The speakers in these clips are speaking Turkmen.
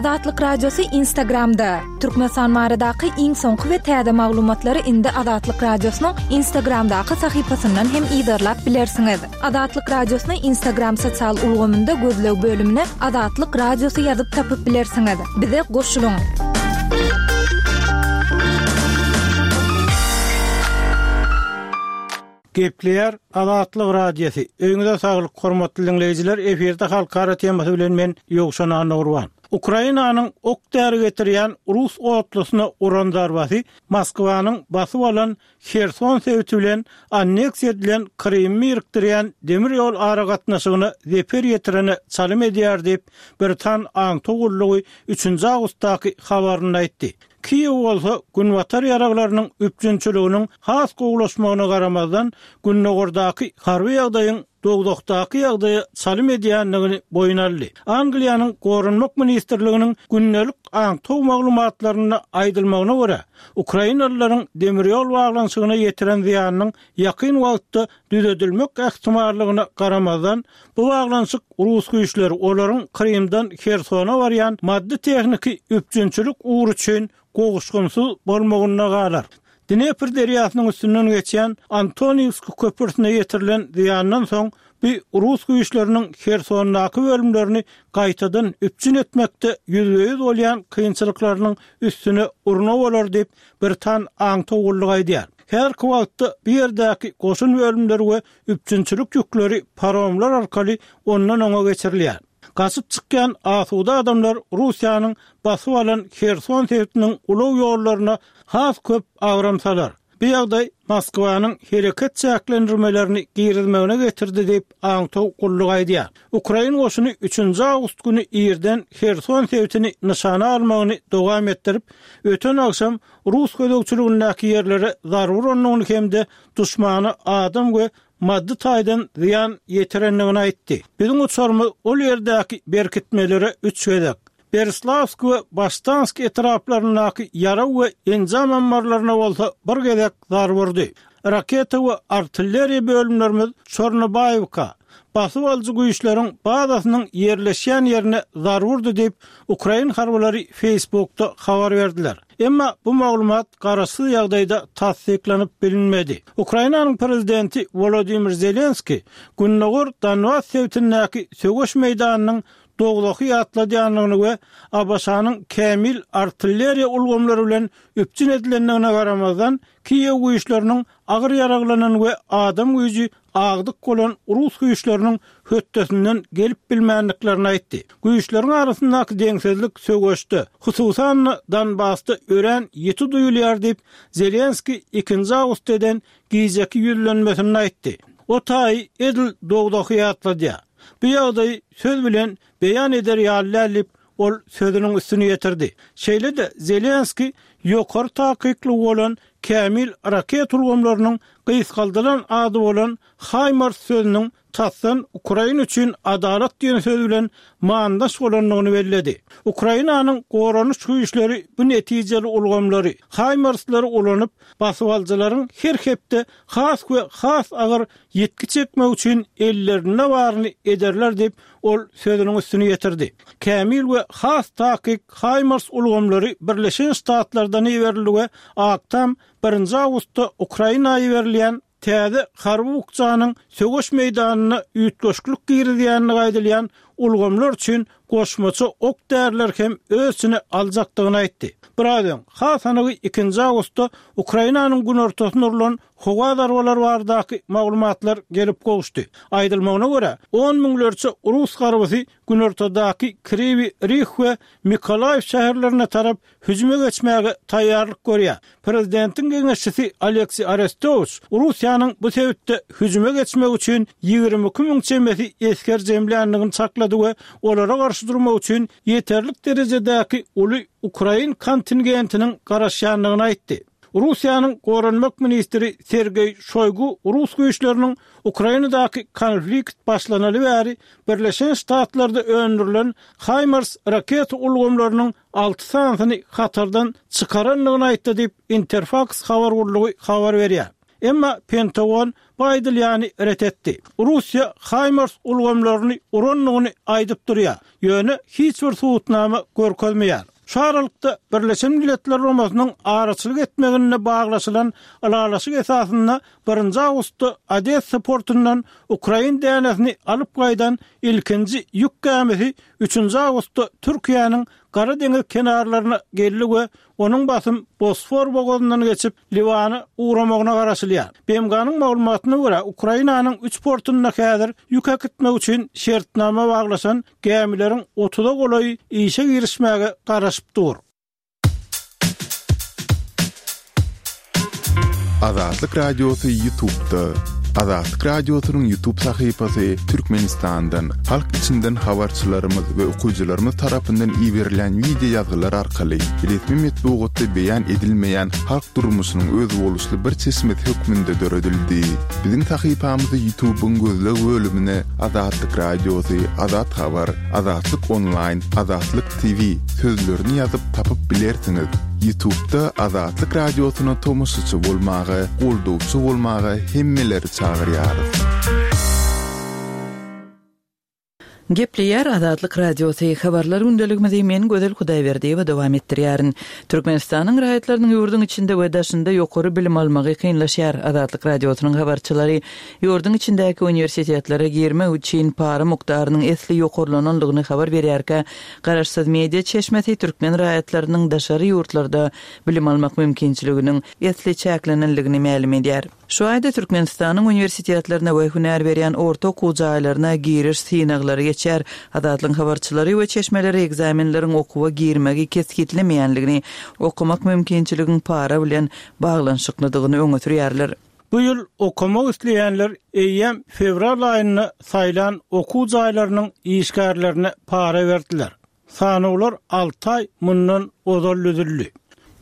Azatlyk Radiosy Instagramda! Türkmenistan baradaky iň soňky we täze maglumatlary indi Azatlyk Radiosynyň Instagramdaky sahypasyndan hem yzarlap bilersiňiz. Azatlyk Radiosyny Instagram sosial ulgamynda gözleg bölümine Azatlyk Radiosy ýazyp tapyp bilersiňiz. Bize goşulyň! Gepleýär Azatlyk Radiosy. Öýüňize saglyk, hormatly diňleýjiler, efirde halkara temasy bilen men Ýowşan Annagurban. Ukrainanyň ok-däri getirýän rus otlusyna uran zarbasy Moskwanyň basyp alan Herson sebiti bilen anneksiýa edilen Krymy birikdirýän demir ýol aragatnaşygyna zeper ýetirene çalym edýär diýip, britan aňtaw gullugy üçünji awgustdaky habarynda aýtdy. Kiýew bolsa günbatar ýaraglarynyň üpjünçiliginiň has gowulaşmagyna garamazdan, gündogardaky harby ýagdaýyň dowzahdaky ýagdaýa çalym edýändigini boýun aldy. Angliýanyň Goranmak ministrliginiň gündelik aňtaw maglumatlarynda aýdylmagyna görä, ukrainalylaryň demir ýol baglanyşygyna ýetiren zyýanynyň ýakyn wagtda düzedilmek ähtimallygyna garamazdan, bu baglanyşyk rus güýçleri olaryň Krymdan Hersona barýan maddy-tehniki üpjünçilik ugry üçin gowuşgynsyz bolmagynda galar. Dnepr derýasynyň üstünden geçýän Antoniwsk köprüsine ýetirilen zyýandan soň, bu rus güýçleriniň Hersondaky bölümlerini gaýtadan üpjün etmekde ýüzbe-ýüz bolýan kynçylyklarynyň üstüne urna bolar diýip, britan aňtaw gullugy aýdýar. Häzirki wagtda bu ýerdäki goşun bölümleri we üpjünçilik ýükleri paromlar arkaly ondan-oňa geçirilýär. Gaçyp çykýan asuda adamlar Russiýanyň basyp alan Herson sebitiniň ulag ýollaryna has köp agram salar. Bu ýagdaý Moskwanyň hereket çäklendirmelerini girizmegine getirdi diýip, aňtaw gullugy aýdýar. Ukrain goşuny üçünji awgust güni irden Herson sebitini nyşana almagyny dowam etdirip, öten agşam rus gözegçiligindäki ýerlere zarba urandygyny hem-de duşmana adam we maddy taýdan zyýan ýetirendigini aýtdy. Biziň uçarymyz ol ýerdäki berkitmelere üç gezek, Berislawsk we Baştansk etraplaryndaky ýarag we enjam ammarlaryna bolsa bir gezek zarba urdy. Raketa we artilleriýa bölümlerimiz Çornobaýewka, basyp alyjy güýçleriň bazasynyň ýerleşýän ýerine zarba urdy diýip, ukrain harbylary Facebookda habar berdiler. Emma bu maglumat garaşsyz ýagdaýda tassyklanyp bilinmedi. Ukrainanyň prezidenti Wolodymyr Zelenskiý gündogar Donbas sebitindäki söweş meýdanynyň dowzahy ýatladýandygyny we ABŞ-nyň kämil artilleriýa ulgamlary bilen üpjün edilendigine garamazdan, Kiýew güýçleriniň agyr ýaraglanan we adam güýji agdyk bolan rus güýçleriniň hötdesinden gelip bilmändiklerini aýtdy. Güýçleriň arasyndaky deňsizlik söweşde, hususan-da Donbasda örän ýiti duýulýar diýip, Zelenskiý ikinji awgustda eden gijeki ýüzlenmesinde aýtdy. O taýy edil dowzahy ýatladýar. Bu ýagdaýy söz bilen beýan eder ýaly däl diýip, ol sözüniň üstüni ýetirdi. Şeýle-de Zelenskiý ýokary takyklygy bolan kämil raket ulgamlarynyň gysgaldylan ady bolan HIMARS sözüniň tasdan Ukraina üçin adalat diýen söz bilen manydaş bolandygyny belledi. Ukrainanyň goranyş güýçleri bu netijeli ulgamlary, HIMARS-lary ulanyp, basybalyjylaryň her hepde has we has agyr ýitgi çekmek üçin ellerinde baryny ederler diýip, ol sözüniň üstüni ýetirdi. Kämil we has takyk HIMARS ulgamlary Birleşen Ştatlardan iberildi we Ak Tam birinji awgustda Ukraina iberilýän täze harby bukjanyň söweş meýdanynda üýtgeşiklik girizýändigi aýdylýan ulgamlar üçin goşmaça ok-därileri hem öz içine aljakdygyny aýtdy. Biraz öň, has anygy ikinji awgustda Ukrainanyň günortasyna urlan howa zarbalary baradaky maglumatlar gelip gowuşdy. Aýdylmagyna görä, on müňlerçe rus harbysy günortadaky Kriwi Rih we Mykolaýiw şäherlerine tarap hüjüme geçmäge taýýarlyk görýär. Prezidentiň geňeşçisi Alekseý Arestowiç Russiýanyň bu sebitde hüjüme geçmek üçin 22 müň çemesi esger jemländigini çaklady we olara garşy durmak üçin ýeterlik derejedäki uly ukrain kontingentiniň garaşýandygyny aýtdy. Russiýanyň goranmak ministri Sergeý Şoýgu rus güýçleriniň Ukrainadaky konflikt başlanaly bäri Birleşen Ştatlarda öndürilen HIMARS raketa ulgamlarynyň alty sanysyny hatardan çykarandygyny aýtdy diýip, Interfaks habar gullugy habar berýär. Emma Pentagon bu aýdylýany ret etdi. Russiýa HIMARS ulgamlaryny urandygyny aýdyp durýar, ýöne hiç bir subutnama görkezmeýär. Şu aralykda, Birleşen Milletler Guramasynyň araçylyk etmeginde baglaşylan ylalaşyk esasynda birinji awgustda Odessa portundan ukrain dänesini alyp gaýdan ilkinji ýük gämisi üçünji awgustda Türkiýäniň Gara deňiz kenarlaryna geldi we onuň basym Bosfor bogazyndan geçip, Liwana ugramagyna garaşylýar. BMG-niň maglumatyna görä, Ukrainanyň üç portunda häzir ýük äkitmek üçin şertnama baglaşan gämileriň otuza golaýy işe girişmäge garaşyp dur. Azatlyk Radiosy Ýutubda. Azatlyk Radiosynyň Ýutub sahypasy Türkmenistandan, halk içinden habarçylarymyz we okyjylarymyz tarapyndan iberilen wideo ýazgylar arkaly resmi metbugatda beýan edilmeýän halk durmuşynyň özboluşly bir çeşmesi hökmünde döredildi. Biziň sahypamyzy Ýutubyň gözleg bölümine Azatlyk Radiosy, Azat Habar, Azatlyk Onlaýn, Azatlyk TV sözlerini ýazyp tapyp bilersiňiz. Ýutubda Azatlyk Radiosyna tomaşaçy bolmaga, goldawçy bolmaga hemmeleri çagyrýarys. Gepleýär Azatlyk Radiosy, Habarlar gündeligimizi men Gözel Hudaýberdiýewa dowam etdirýärin. Türkmenistanyň raýatlarynyň ýurduň içinde we daşynda ýokary bilim almagy kynlaşýar. Azatlyk Radiosynyň habarçylary ýurduň içindäki uniwersitetlere girmek üçin para mukdarynyň esli ýokarlanandygyny habar berýärkä, garaşsyz media çeşmesi türkmen raýatlarynyň daşary ýurtlarda bilim almak mümkinçiliginiň esli çäklenendigini mälim edýär. Şu aýda Türkmenistanyň uniwersitetlerine we hünär berýän orta okuw jaýlaryna giriş synaglary geçýär. Azatlygyň habarçylary we çeşmeleri ekzamenleriň okuwa girmegi kesgitlemeýändigini, okamak mümkinçiligiň para bilen baglanyşyklydygyny öňe sürýärler. Bu ýyl okamak isleýänler eýýäm fewral aýynda saýlan okuw jaýlarynyň işgärlerine para berdiler. Sanawlar alty aý mundan ozal düzüldi.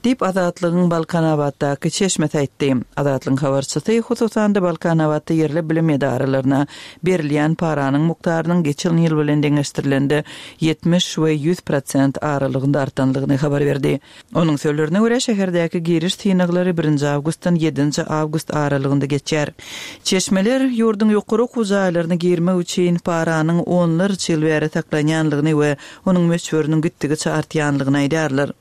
Diýip, Azatlygyň Balkanabatdaky çeşmesi aýtdy. Azatlygyň habarçysy, hususan-da, Balkanabatda ýerli bilim edaralaryna berilýän paranyň mukdarynyň geçen ýyl bilen deňeşdirilende 70 we 100 prosent aralygynda artandygyny habar berdi. Onuň sözlerine görä, şäherdäki giriş synaglary birinji awgustdan ýedinji awgust aralygynda geçýär. Çeşmeler ýurduň ýokary okuw jaýlaryna girmek üçin paranyň onlarça ýyl bäri saklanýanlygyny we onuň möçberiniň gitdigiçe artýanlygyny aýdýarlar.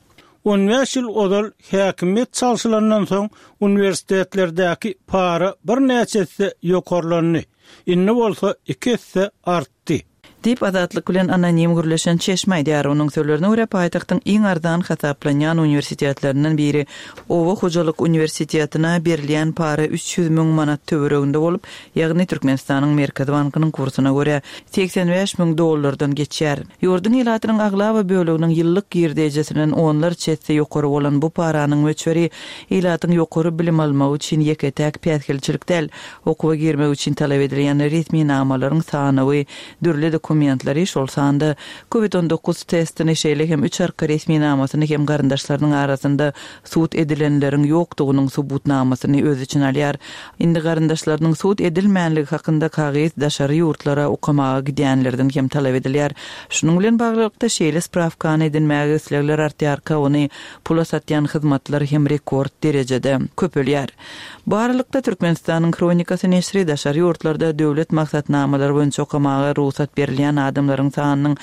On bäş ýyl ozal häkimiýet çalşylandan soň uniwersitetlerdäki para birnäçe esse ýokarlandy, indi bolsa iki esse artdy. Diýip, Azatlyk bilen anonim gürleşen çeşme aýdýar. Onuň sözlerine görä, paýtagtyň iň arzan hasaplanýan uniwersitetlerinden biri Oba hojalyk uniwersitetine berilýän para 300 müň manat töwereginde bolup, ýagny Türkmenistanyň Merkezi bankynyň kursuna görä, 85 müň dollardan geçýär. Ýurduň ilatynyň aglaba böleginiň ýyllyk girdejisinden onlarça esse ýokary bolan bu paranyň möçberi ilatyň ýokary bilim almagy üçin ýeke-täk päsgelçilik däl. Okuwa girmek üçin talap edilýän resminamalaryň sanawy, dürli dokumentleri, şol sanda Covid 19 testini, şeýle hem üç arka resminamasyny hem garyndaşlarynyň arasynda sud edilenleriň ýokdugynyň subutnamasyny öz içine alýar. Indi garyndaşlarynyň sud edilmänligi hakynda kagyz daşary ýurtlara okamaga gidýänlerden hem talap edilýär. Şunuň bilen baglylykda, şeýle sprawkany edinmäge islegler artýarka, ony pula satýan hyzmatlar hem rekord derejede köpelýär. Bu aralykda, Türkmenistanyň Hronikasy neşiri daşary ýurtlarda döwlet maksatnamalary boýunça okamaga rugsat berilýän adamlaryň sanynyň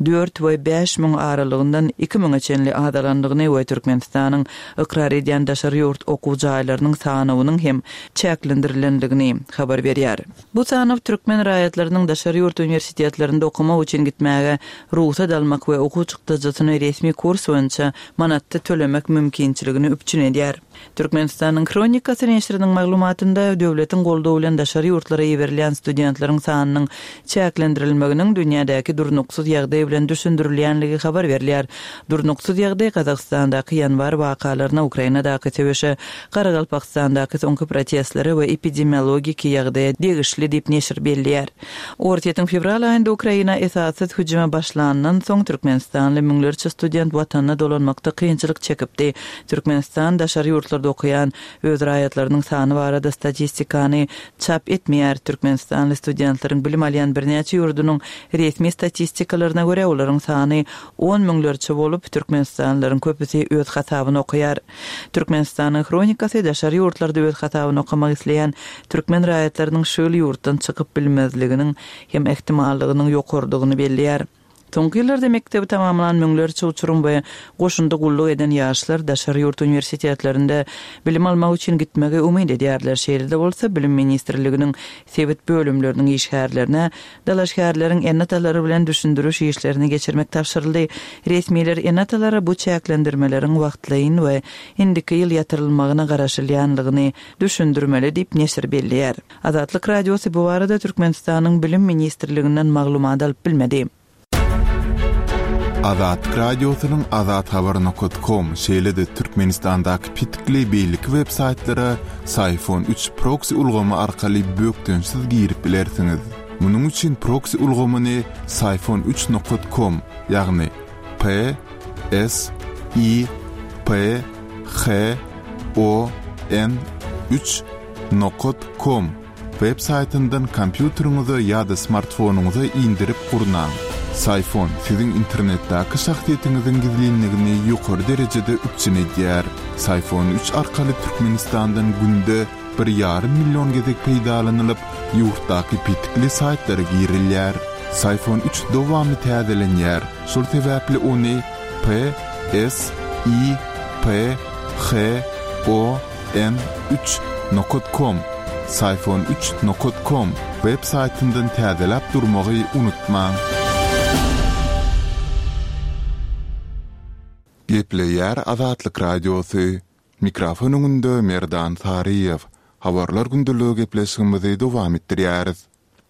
dört we 5000 aralygyndan iki müňe çenli azalandygyny we Türkmenistanyň ykrar edýän daşary ýurt okuw jaýlarynyň sanawynyň hem çäklendirilendigini habar berýär. Bu sanaw türkmen raýatlarynyň daşary ýurt uniwersitetlerinde okamak üçin gitmäge rugsat almak we okuw çykdajysyny resmi kurs boýunça manatda tölemek mümkinçiligini üpjün edýär. Türkmenistanyň Hronikasy neşiriniň maglumatynda, döwletiň goldawy bilen daşary ýurtlara iberilýän studentleriň sanynyň çäklendirilmeginiň dünýädäki durnuksyz ýagdaý bilen düşündirilýänligi habar berilýär. Durnuksyz ýagdaý Gazagystandaky ýanwar wakalaryna, Ukrainadaky söweşe, Garagalpagystandaky soňky protestlere we epidemiologiki ýagdaýa degişli diýip neşir belleýär. Orsýetiň fewral aýynda Ukraina esassyz hüjüme başlanyndan soň türkmenistanly müňlerçe student watanyna dolanmakda kynçylyk çekipdi. Türkmenistan daşary ýurtlarda okaýan öz raýatlarynyň sany barada statistikany çap etmeýär. Türkmenistanly studentleriň bilim alýan birnäçe ýurdunyň Resmi statistikalaryna görä, olaryň sany on müňlerçe bolup, türkmenistanlylaryň köpüsi öz hasabyna okaýar. Türkmenistanyň Hronikasy daşary ýurtlarda öz hasabyna okamak isleýän türkmen raýatlarynyň şu ýyl ýurtdan çykyp bilmezliginiň hem ähtimallygynyň ýokarydygyny belleýär. Soňky ýyllarda mekdebi tamamlan müňlerçe uçurym we goşunda gulluk eden ýaşlar daşary ýurt uniwersitetlerinde bilim almak üçin gitmegi umyt edýärler. Şeýle-de bolsa, Bilim ministrliginiň sebit bölümleriniň işgärlerine dalaşgärleriň ene-atalary bilen düşündiriş işlerini geçirmek tabşyryldy. Resmiler ene-atalara bu çäklendirmeleriň wagtlaýyn we indiki ýyl ýatyrylmagyna garaşylýanlygyny düşündirmeli diýip, neşir belleýär. Azatlyk Radiosy bu barada Türkmenistanyň Bilim ministrliginden maglumat alyp bilmedi. Azatlyk Radiosynyň azathabar nokat kom şeýle-de Türkmenistandaky petikli beýleki web saýtlara Syfon üç proksi ulgamy arkaly bökdençsiz girip bilersiňiz. Munuň üçin proksi ulgamyny Syfon üç nokat kom, ýagny P S I P H O N üç Nokat kom web saýtyndan kompýuteriňize ýa-da smartfonyňyza indirip gurnaň. Syfon siziň internetdäki şahsyýetiňiziň gizlinligini ýokary derejede üpjün edýär. Syfon üç arkaly Türkmenistandan günde bir ýarym million gezek peýdalanylyp, ýurtdaky petikli saýtlara girilýär. Syfon üç dowamly täzelenýär, şol sebäpli ony P S I P H O N üç nokat kom Syfon üç nokat kom web saýtyndan täzeläp durmagy unutmaň. Gepleýär Azatlyk Radiosy. Mikrofon öňünde Merdan Saryýew. Habarlar gündeligi gepleşigimizi dowam etdirýäris.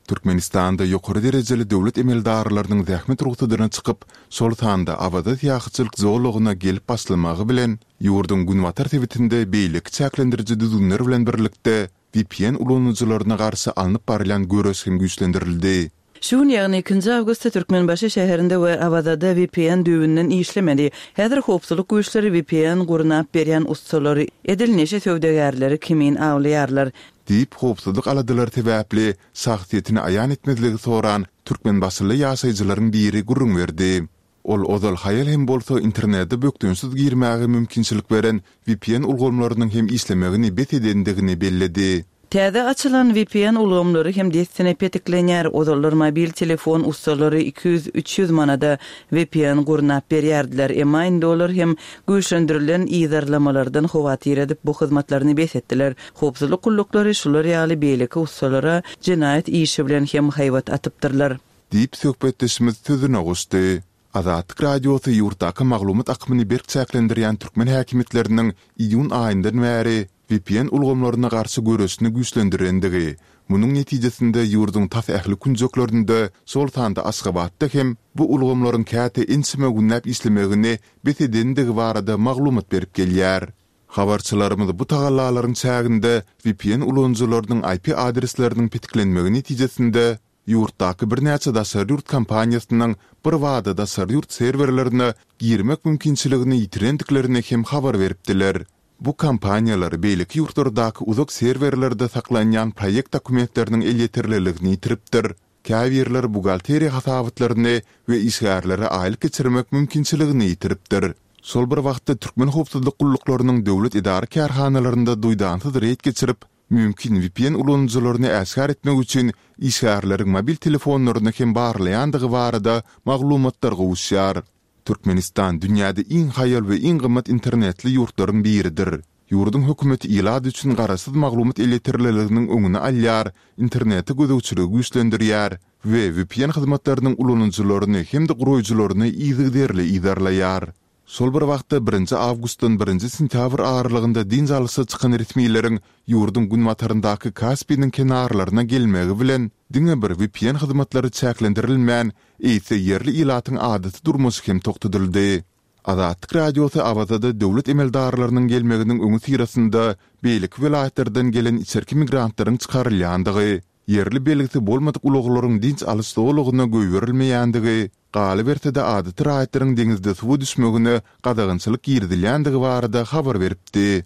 Türkmenistanda ýokary derejeli döwlet emeldarlarynyň zähmet rugsadyna çykyp, şol sanda Awaza syýahatçylyk zolagyna gelip başlamagy bilen, ýurduň günbatar sebitinde beýleki çäklendiriji düzgünler bilen birlikde, vpn ulanyjylaryna garşy alnyp barylýan göreş hem güýçlendirildi. Şu gün, ýagny ikinji awgustda Türkmenbaşy şäherinde we Awazada vpn düýbünden işlemedi. Häzir howpsuzlyk güýçleri vpn gurnap berýän ussalary edil neşe söwdagärleri kimin awlaýarlar. Diýip, howpsuzlyk aladalary sebäpli şahsyýetini aýan etmezligi soran türkmenbaşyly ýaşaýjylaryň biri gürrüň berdi. Ol ozal haýal hem bolsa internete bökdençsiz girmäge mümkinçilik beren vpn ulgamlarynyň hem işlemegini bes edendigini belledi. Täze açylan vpn ulgamlary hem dessine petiklenýär. Ozallar mobil telefon ussalary 200, 300 manada vpn gurnap berýärdiler. Emma indi olar hem güýçlendirilen yzarlamalardan howatyr edip, bu hyzmatlaryny bes etdiler. Howpsuzlyk gulluklary şular ýaly beýleki ussalara jenaýat işi bilen hem haýbat atypdyrlar. Diýip, söhbetdeşimiz sözüne goşdy. Azatlyk Radiosy ýurtdaky maglumat akymyny berk çäklendirýän türkmen häkimiýetleriniň iýun aýyndan bäri vpn ulgamlaryna garşy göreşini güýçlendirendigi, munuň netijesinde ýurduň tas ähli künjeklerinde, şol sanda Aşgabatda hem bu ulgamlaryň käte ençeme günläp işlemegini bes edendigi barada maglumat berip gelýär. Habarçylarymyz bu tagallalaryň çäginde vpn ulanyjylarynyň IP adresleriniň petiklenmegi netijesinde ýurtdaky birnäçe daşary ýurt kompaniýasynyň birbada daşary ýurt serwerlerine girmek mümkinçiligini ýitirendiklerini hem habar beripdiler. Bu kompaniýalar beýleki ýurtlardaky uzak serwerlerde saklanýan proýekt dokumentleriniň elýeterliligini ýitiripdir, käbirleri buhgalteriýa hasabatlaryny we işgärlere aýlyk geçirmek mümkinçiligini ýitiripdir. Şol bir wagtda türkmen howpsuzlyk gulluklarynyň döwlet edara-kärhanalarynda duýdansyz reýd geçirip, mümkin vpn ulanyjylaryny äşgär etmek üçin işgärleriň mobil telefonlaryny hem barlaýandygy barada maglumatlar gowuşýar. Türkmenistan dünýäde iň haýal we iň gymmat internetli ýurtlaryň biridir. Ýurduň hökümeti ilat üçin garaşsyz maglumat elýeterliliginiň öňüni alýar, internete gözegçiligi güýçlendirýär we vpn hyzmatlarynyň ulanyjylaryny hem-de guraýjylaryny yzygiderli yzarlaýar. Şol bir wagtda, birinji awgustdan birinji sentýabr aralygynda dynç alyşa çykan resmileriň ýurduň günbataryndaky Kaspiniň kenarlaryna gelmegi bilen, diňe bir vpn hyzmatlary çäklendirilmän, eýse ýerli ilatyň adaty durmuşy hem togtadyldy. Azatlyk Radiosy Awazada döwlet emeldarlarynyň gelmeginiň öňüsyrasynda beýleki welaýatlardan gelen içerki migrantlaryň çykarylýandygy, ýerli belgisi bolmadyk ulaglaryň dynç alyş zolagyna goýberilmeýändigi, galyberse-de adaty raýatlaryň deňizde suwa düşmegine gadagançylyk girizilýändigi barada habar beripdi.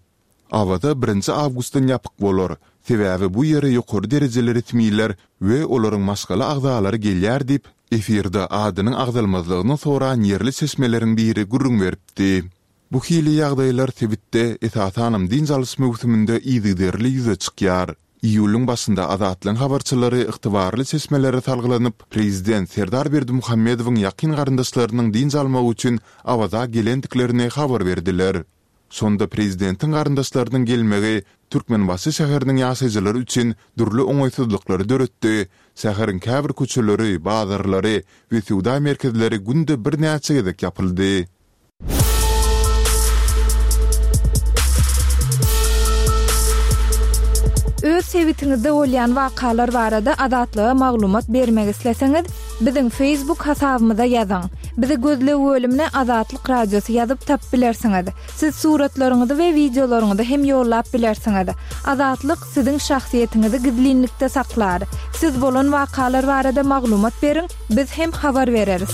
Awaza birinji awgustdan ýapyk bolar, sebäbi bu ýere ýokary derejeli resmiler we olaryň maşgala agzalary gelýär diýip, efirde adynyň agzalmazlygyny soran ýerli çeşmeleriň biri gürrüň beripdi. Bu hili ýagdaýlar sebitde, esasanam dynç alyş möwsüminde yzygiderli ýüze çykýar. Iýulyň başynda Azatlygyň habarçylary ygtybarly çeşmelere salgylanyp, prezident Serdar Berdimuhamedowyň ýakyn garyndaşlarynyň dynç almak üçin Awaza gelendiklerini habar berdiler. Şonda prezidentiň garyndaşlarynyň gelmegi Türkmenbaşy şäheriniň ýaşaýjylary üçin dürli oňaýsyzlyklary döretdi, şäheriň käbir köçeleri, bazarlary we söwda merkezleri günde birnäçe gezek ýapyldy. Öz sebitiňizde bolýan wakalar barada Azatlyga maglumat bermek isleseňiz, biziň Facebook hasabymyza ýazyň. Bizi gözleg bölümine Azatlyk Radiosy ýazyp tapyp bilersiňiz. Siz suratlaryňyzy we wideolaryňyzy hem ýollap bilersiňiz. Azatlyk siziň şahsyýetiňizi gizlinlikde saklar. Siz bolan wakalar barada maglumat beriň, biz hem habar bereris.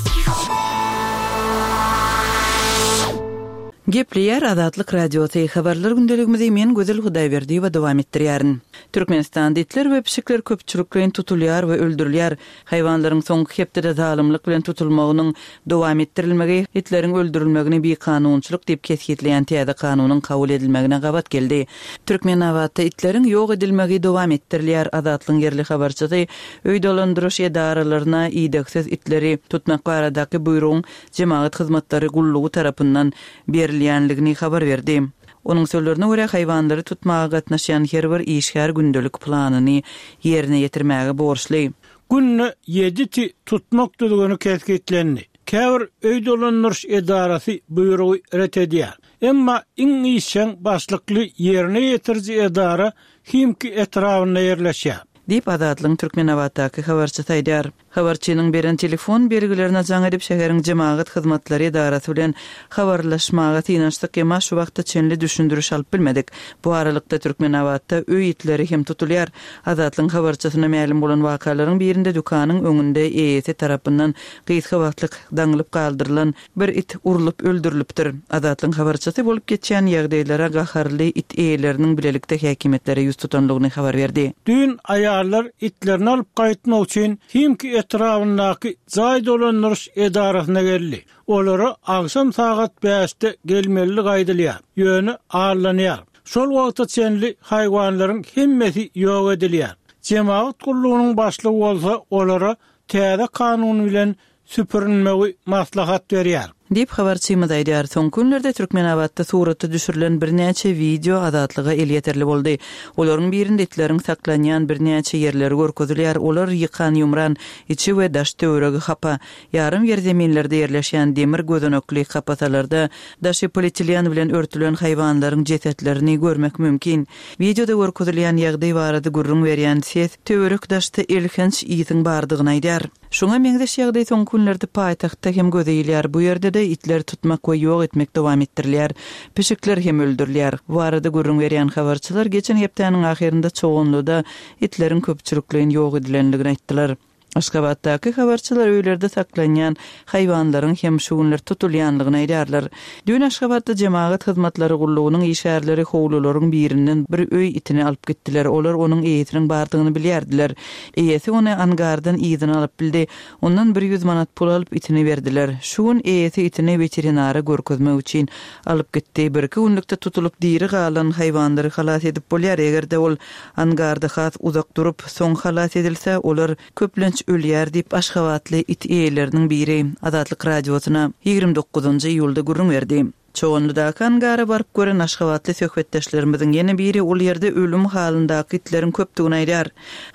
Gepleýär Azatlyk Radiosy, Habarlar gündeligimizi men Gözel Hudaýberdiýewa dowam etdirýärin. Türkmenistanda itler we pişikler köpçülikleýin tutulýar we öldürilýär. Haýwanlaryň soňky hepdede zalymlyk bilen tutulmagynyň dowam etdirilmegi itleriň öldürilmegini bikanunçylyk diýip kesgitleýän täze kanunyň kabul edilmegine gabat geldi. Türkmenabatda itleriň ýok edilmegi dowam etdirilýär. Azatlygyň ýerli habarçysy öý dolandyryş edaralaryna idegsiz itleri tutmak baradaky buýrugyň Jemagat hyzmatlary gullugy tarapyndan berilýänligini habar berdi. Onuň sözlerine görä, haýwanlary tutmaga gatnaşýan her bir işgär gündelik planyny ýerine ýetirmäge borçly. Günde ýedi iti tutmak düzgüni kesgitlendi. Käbir öý dolandyryş edarasy buýrugy ret edýär. Emma iň işjeň başlykly ýerine ýetiriji edara Himki etrabynda ýerleşýär. Diýip, Azatlygyň Türkmenabatdaky habarçysy aýdýar. Habarçynyň beren telefon belgilerine jaň edip, şäheriň jemagat hyzmatlary edarasy bilen habarlaşmaga synanyşdyk, emma şu wagta çenli düşündiriş alyp bilmedik. Bu aralykda, Türkmenabatda öý itleri hem tutulýar. Azatlygyň habarçysyna mälim bolan wakalaryň birinde dükanyň öňünde eýesi tarapyndan gysga wagtlyk daňylyp galdyrylan Bir it urlup öldürilipdir. Azatlygyň habarçysy bolup geçýän ýagdaýlara gaharly it eýeleriniň bilelikde häkimiýetlere ýüz tutandygyny habar berdi. Düýn aýallar itlerini alyp gaýtmak üçin Himki etrabyndaky jaý dolandyryş edarasyna geldi. Olara agşam sagat bäşde gelmelidigi aýdylýar, ýöne aldanýar. Şol wagta çenli haýwanlaryň hemmesi ýok edilýär. Jemagat gullugynyň başlygy bolsa olara täze kanun bilen süpürinmegi maslahat berýär. Diýip, habarçymyz aýdýar. Soňky günlerde Türkmenabatda surata düşürilen birnäçe wideo Azatlyga elýeterli boldy. Olaryň birinde itleriň saklanýan birnäçe ýerleri görkezilýär, olar ýykan-ýumran, içi we daş-töweregi hapa, ýarym ýerzeminlerde ýerleşýän demir gözenekli kapasalarda daşy polietilen bilen örtülen haýwanlaryň jesetlerini görmek mümkin. Wideoda görkezilýän ýagdaý barada gürrüň berýän ses töwerek-daşda elhenç ysyň bardygyny aýdýar. Şuňa meňzeş ýagdaý soňky günlerde paýtagtda hem göze ilýär. Bu ýerde-de itleri tutmak we ýok etmek dowam etdirilýär. Pişikler hem öldürilýär. Bu barada gürrüň berýän habarçylar geçen hepdäniň ahyrynda Çoganlyda itleriň köpçülikleýin ýok edilendigini aýtdylar. Aşgabatdaky habarçylar öýlerde saklanýan haýwanlaryň hem şu günler tutulýandygyny aýdýarlar. Düýn Aşgabatda Jemagat hyzmatlary gullugynyň işgärleri howlularyň birinden bir öý itini alyp gitdiler. Olar onuň eýesiniň bardygyny bilýärdiler. Eýesi ony angardan yzyna alyp bildi. Ondan 100 manat pul alyp, itini berdiler. Şu gün eýesi itini weterinara görkezmek üçin alyp gitdi. Birki günlükde tutulyp diri galan haýwanlary halas edip bolýar. Eger-de ol angarda has uzak durup, soň halas edilse, olar köplenç ölýär diýip, aşgabatly it eýeleriniň biri Azatlyk Radiosyna 29 iýulda gürrüň berdi. Çoganlydaky angara baryp gören aşgabatly söhbetdeşlerimiziň ýene biri ol ýerde ölüm halyndaky itleriň köpdügini aýdýar.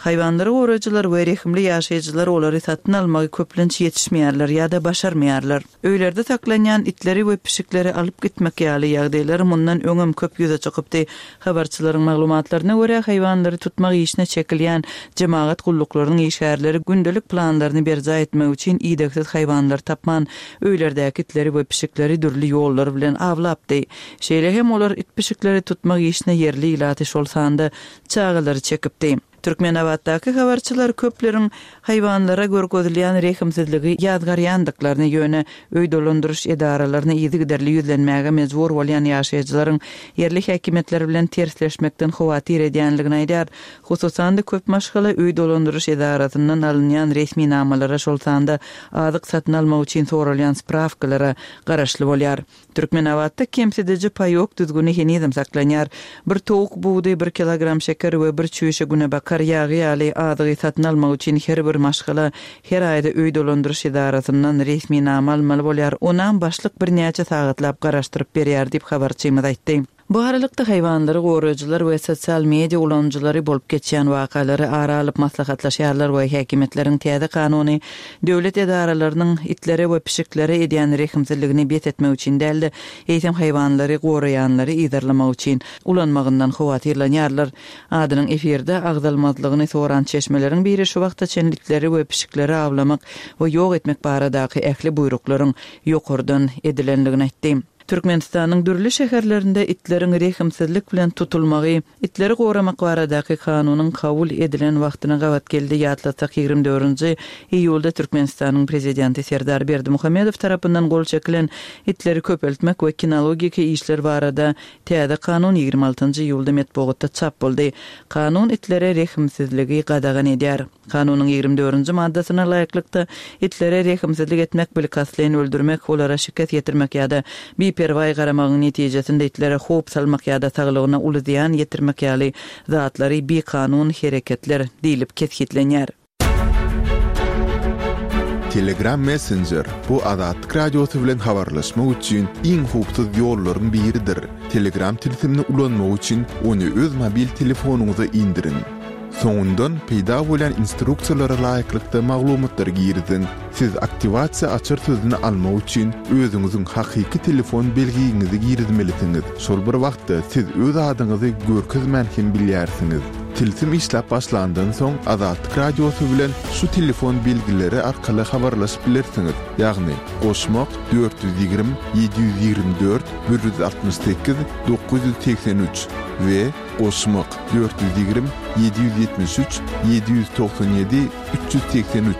Haýwanlary goraýjylar we rehimli ýaşaýjylar olary satyn almagy köplenç ýetişmeýärler ýa-da başarmaýarlar. Öýlerde saklanýan itleri we pişikleri alyp gitmek ýaly ýagdaýlar mundan öňem köp ýüze çykypdy. Habarçylaryň maglumatlaryna görä, haýwanlary tutmak işine çekilýän jemagat gulluklarynyň işgärleri gündelik planlaryny berjaý etmek üçin idegsiz haýwanlary tapman, öýlerdäki itleri we pişikleri dürli ýollar bilen awlapdy. Şeýle hem olar it-pişikleri tutmak işine ýerli ilaty, şol sanda çagalary çekipdi. Türkmenabatdaky habarçylar köpleriň haýwanlara görkezilýän rehimsizligi ýazgarýandyklaryny, ýöne öý dolandyryş edaralaryna yzygiderli ýüzlenmäge mejbur bolýan ýaşaýjylaryň ýerli häkimiýetler bilen tersleşmekden howatyr edýänligini aýdýar. Hususan-da, köp maşgala öý dolandyryş edarasyndan alynýan resminamalara, şol sanda azyk satyn almak üçin soralýan sprawkalara garaşly bolýar. Türkmenabatda kemsidiji paýok düzgüni henizem saklanýar. Bir towuk budy, bir kilogram şeker we bir çüýşe günebakar ýagy ýaly azygy satyn almak üçin her bir maşgala her aýda öý dolandyryş edarasyndan resminama almaly bolýar, onam başlyk birnäçe sagatlap garaşdyryp berýär diýip, habarçymyz aýtdy. Bu aralykda, haýwanlary goraýjylar we sosial media ulanyjylary bolup geçýän wakalary ara alyp maslahatlaşýarlar we häkimiýetleriň täze kanuny döwlet edaralarynyň itlere we pişiklere edýän rehimsizligini bes etmek üçin däl-de, eýsem haýwanlary goraýanlary yzarlamak üçin ulanmagyndan howatyrlanýarlar. Adynyň efirde agzalmazlygyny soran çeşmeleriň biri şu wagta çenli itleri we pişikleri awlamak we ýok etmek baradaky ähli buýruklaryň ýokardan edilendigini aýtdy. Türkmenistanyň dürli şäherlerinde itleriň rehimsizlik bilen tutulmagy itleri goramak baradaky kanunyň kabul edilen wagtyna gabat geldi. Ýatlatsak, 24-nji iýulda Türkmenistanyň Prezidenti Serdar Berdimuhamedow tarapyndan gol çekilen Itleri köpeltmek we kinologiki işler barada täze kanun 26-njy iýulda metbugatda çap boldy. Kanun itlere rehimsizligi gadagan edýär. Kanunyň 24-nji maddasyna laýyklykda, itlere rehimsizlik etmek, bilkastlaýyn öldürmek, olara şikes ýetirmek ýa-da biperwaý garamagyň netijesinde itlere howp salmak ýa-da saglygyna uly zyýan ýetirmek ýaly zatlary bikanun hereketler diýlip kesgitlenýär. Telegram Messenger, bu Azatlyk Radiosy bilen habarlaşmak üçin iň howpsuz ýollaryň biridir. Telegram tilsimini ulanmak üçin ony öz mobil telefonyňyza indiriň. Soňundan peýda bolýan instruksiýalara laýyklykda maglumatlary giriziň. Siz aktiwasiýa açar sözüni almak üçin özüňiziň hakyky telefon belgiňizi girizmelisiňiz. Şol bir wagtda siz öz adyňyzy görkezmän hem bilýärsiňiz. Tilsim işläp başlandan soň Azatlyk Radiosy bilen şu telefon belgileri arkaly habarlaşyp bilersiňiz, ýagny, goşmak, 420 724 168 983 we Goşmak, 420 773 797 383.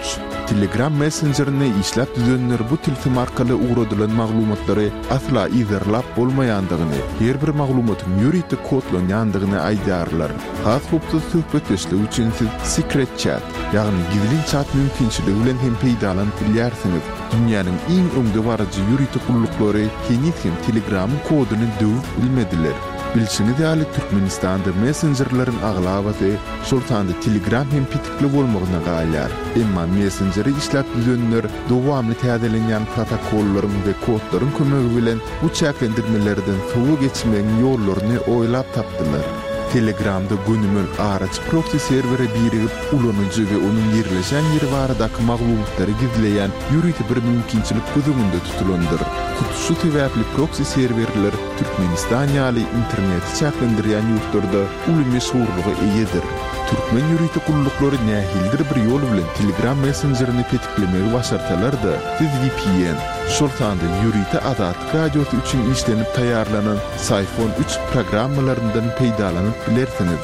Telegram messenjerini işläp düzenler bu tilsim arkaly ugradylan maglumatlary asla yzarlap bolmaýandygyny, her bir maglumatyň ýörite kodlanýandygyny aýdýarlar. Has howpsuz söhbetdeşlik üçin siz Secret Chat, ýagny gizlin çat mümkinçiligi bilen hem peýdalanyp bilýärsiňiz. Dünýäniň iň öňdebaryjy ýörite gulluklary heniz hem Telegramyň koduny döwüp bilmediler. Bilşiňiz ýaly, Türkmenistanda messenjerleriň aglabasy, şol sanda Telegram hem petikli bolmagyna galýar. Emma messenjeri işläp düzenler dowamly täzelenýän protokollaryň we kodlaryň kömegi bilen bu çäklendirmelerden sowa geçmegiň ýollaryny oýlap tapdylar. Telegramda gönümel araçy proksi serwere birigip, ulanyjy we onuň ýerleşen ýeri baradaky maglumatlary gizleýän ýörite bir mümkinçilik göz öňünde tutulandyr. Hut şu sebäpli proksi serwerler Türkmenistan ýaly interneti çäklendirýän ýurtlarda uly meşhurlyga eýedir. Türkmen ýörite gulluklary nähilidir bir ýol bilen Telegram messenjerini petiklemegi başarsalar-da, siz vpn, şol sanda ýörite Azatlyk Radiosy üçin işlenip taýýarlanan Syphon üç programmalaryndan peýdalanyp bilersiňiz.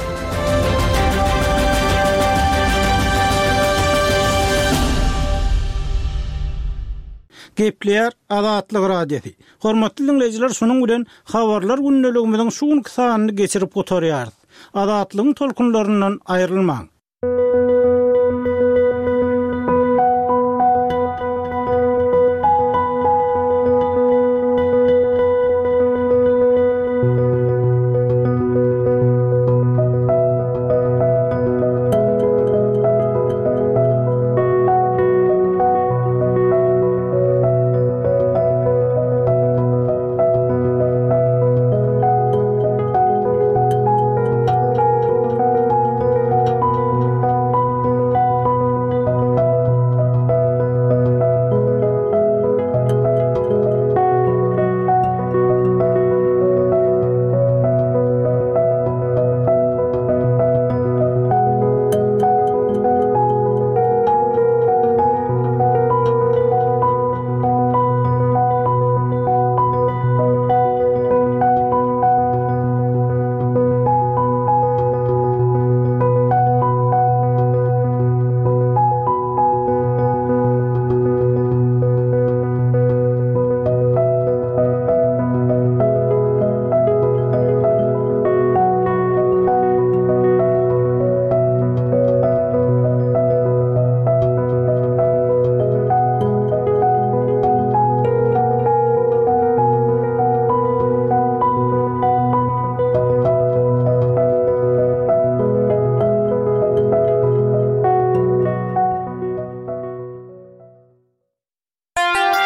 Gepleýär Azatlyk Radiosy. Hormatly diňleýjiler şunuň bilen Habarlar gündeligimiziň şu günki sanyny geçirip gutarýarys. Azatlygyň tolkunlaryndan aýrylmaň.